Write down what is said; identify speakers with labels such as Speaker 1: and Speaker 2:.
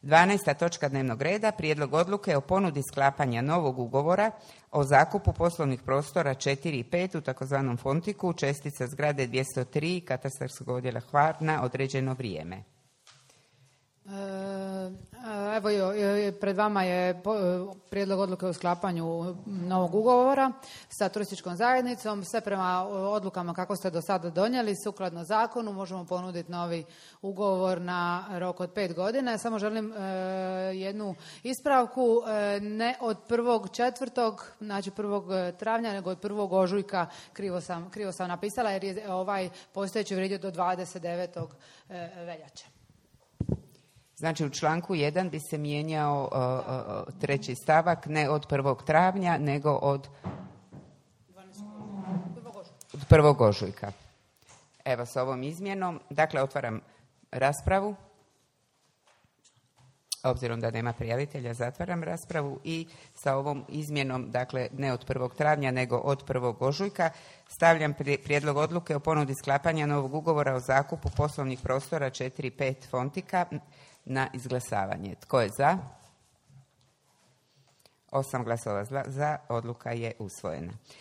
Speaker 1: 12. točka dnevnog reda, prijedlog odluke o ponudi sklapanja novog ugovora o zakupu poslovnih prostora 4 i 5 u takozvanom Fontiku, čestica zgrade 203 katastarskog odjela Hvar na određeno vrijeme.
Speaker 2: Evo, pred vama je prijedlog odluke o sklapanju novog ugovora sa turističkom zajednicom. Sve prema odlukama kako ste do sada donijeli, sukladno zakonu možemo ponuditi novi ugovor na rok od 5 godina. Samo želim jednu ispravku, ne od 1.4., znači 1. travnja, nego od 1. ožujka, krivo sam napisala jer je ovaj postojeći vrijedio do 29. veljače.
Speaker 1: Znači u članku 1 bi se mijenjao treći stavak, ne od 1. travnja, nego od 1. ožujka. Evo s ovom izmjenom, dakle otvaram raspravu. Obzirom da nema prijavitelja, zatvaram raspravu i sa ovom izmjenom, dakle ne od 1. travnja, nego od 1. ožujka, stavljam prijedlog odluke o ponudi sklapanja novog ugovora o zakupu poslovnih prostora 4 i 5 Fontika na izglasavanje. Tko je za? 8 glasova za, odluka je usvojena.